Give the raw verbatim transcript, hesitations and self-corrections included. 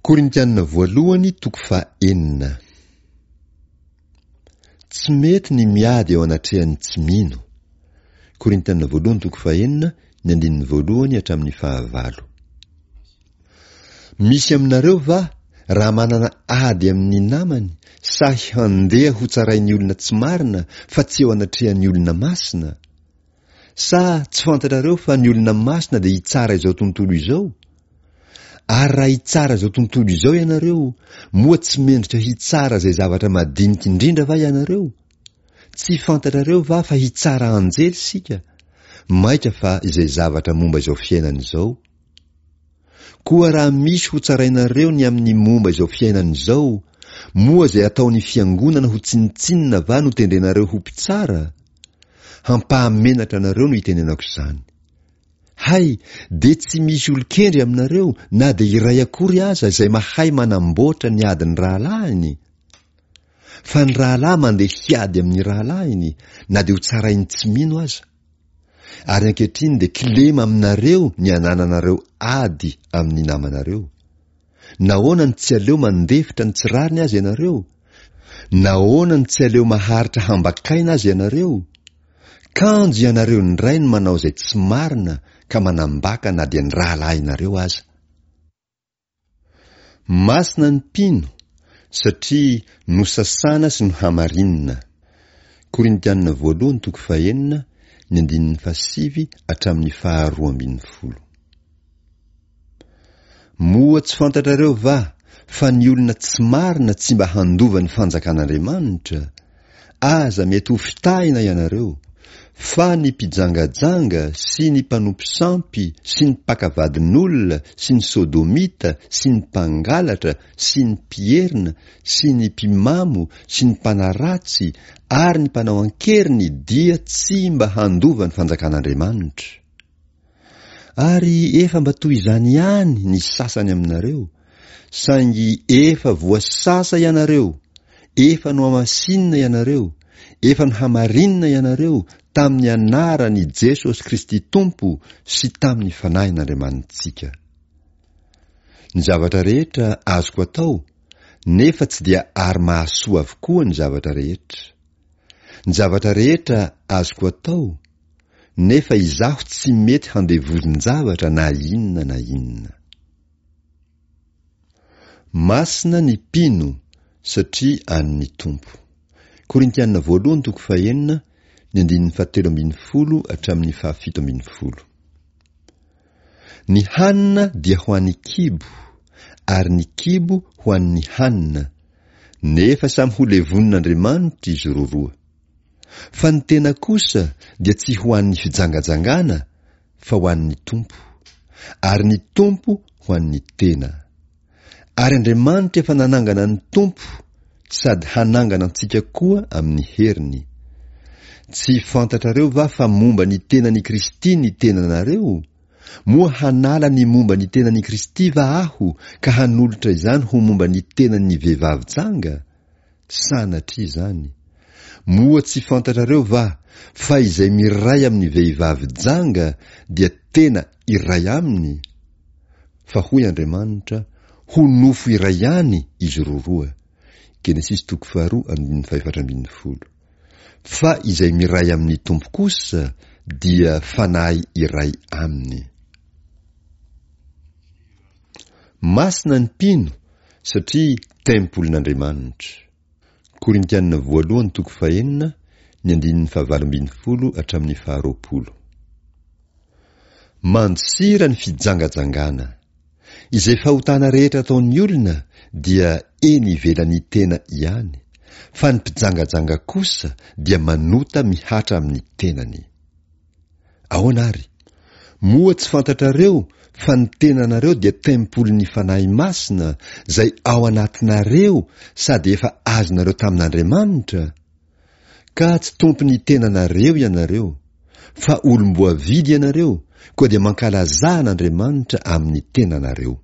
Korintianina voalohany toko fahenina. Tsy mety ny miady eo anatrehan'ny tsy mino. Korintianina voalohany toko fahenina, ny andininy voalohany hatramin'ny fahavalo. Misy aminareo va raha manana ady amin'ny namany, sahy handeha ho tsarain'ny olona tsy marina fa tsy eo anatrehan'ny olona masina? Sa tsy fantatrareo fa ny olona masina dia hitsara izao tontolo izao? Ary raha hitsara izao tontolo izao ianareo, moa tsy mendrika hitsara izay zavatra madinika indrindra va ianareo? Tsy fantatrareo va fa hitsara anjely isika? Mainka fa izay zavatra momba izao fiainana izao. Koa raha misy ho tsarainareo ny amin'ny momba izao fiainana izao, moa izay ataon'ny fiangonana ho tsinontsinona va no tendrenareo ho mpitsara? Hampahamenatra anareo no itenenako izany. Hay, dia tsy misy olon-kendry aminareo na dia iray akory aza izay mahay manamboatra ny adin'ny rahalahiny? Fa ny rahalahy mandeha hiady amin'ny rahalahiny na dia ho tsarain'ny tsy mino aza. Ary ankehitriny dia kilema aminareo ny anananareo ady amin'ny namanareo. Nahoana no tsy aleo mandefitra ny tsy rariny aza ianareo? Nahoana no tsy aleo maharitra hambakaina aza ianareo? Kanjo ianareo indray no manao izay tsy marina ka manambaka na dia ny rahalahinareo aza. Masina ny mpino satria nosasana sy nohamarinina. Korintianina voalohany toko fahenina, ny andininy fahasivy hatramin'ny faharoa ambin'ny folo. Moa tsy fantatrareo va fa ny olona tsy marina tsy mba handova ny fanjakan'Andriamanitra? Aza mety ho fitahina ianareo, fa ny mpijangajanga sy ny mpanompo sampy sy ny mpaka vadin'olona sy ny sodomita sy ny mpangalatra sy ny mpierina sy ny mpimamo sy ny mpanaratsy ary ny mpanao an-keriny dia tsy mba handova ny fanjakan'Andriamanitra. Ary efa mba toy izany ihany ny sasany aminareo, saingy efa voasasa ianareo, efa nohamasinina ianareo, efa nohamarinina ianareo tamin'ny anaran'i Jesosy Kristy Tompo sy tamin'ny Fanahin'Andriamanitsika. Ny zavatra rehetra azoko atao, nefa tsy dia ary mahasoa avokoa ny zavatra rehetra. Ny zavatra rehetra azoko atao, nefa izaho tsy mety handevozin-javatra na inona na inona. Masina ny mpino satria an'ny Tompo. Korintiana voalohany toko fahenina, ny andininy fahatelo ambin'ny folo hatramin'ny fahafito ambin'ny folo. Ny hanina dia ho an'ny kibo, ary ny kibo ho an'ny hanina, nefa samy ho levonin'Andriamanitra izy roroa. Fa ny tena kosa dia tsy ho an'ny fijangajangana fa ho an'ny Tompo, ary ny Tompo ho an'ny tena. Ary Andriamanitra efa nanangana ny Tompo sady hanangana antsika koa amin'ny heriny. Tsy fantatrareo va fa momba ny tenan'i Kristy ny tenanareo? Moa hanala ny momba ny tenan'i Kristy va aho ka hanolotra izany ho momba ny tenan'ny vehivavy janga? Sanatria izany! Moa tsy fantatrareo va fa izay miray amin'ny vehivavy janga dia tena iray aminy? Fa hoy Andriamanitra, ho nofo iray ihany izy roroa. Genesisy toko faharoa andininy fahefatra ambin'ny folo. Fa izay miray amin'ny Tompo kosa dia fanahy iray aminy. Masina ny mpino satria tempolin'Andriamanitra. Korintianina voalohany toko fahenina, ny andininy fahavalo ambin'ny folo hatramin'ny faharoapolo. Mandosira ny fijangajangana. Izay fahotana rehetra ataon'ny olona dia eny ivelan'ny tena ihany, fa ny mpijangajanga kosa dia manota mihatra amin'ny tenany. Ahoana ary? Moa tsy fantatrareo fa ny tenanareo dia tempolin'ny Fanahy Masina izay ao anatinareo sady efa azonareo tamin'Andriamanitra? Ka tsy tompon'ny tenanareo ianareo, fa olom-boavidy ianareo, koa dia mankalazà an'Andriamanitra amin'ny tenanareo.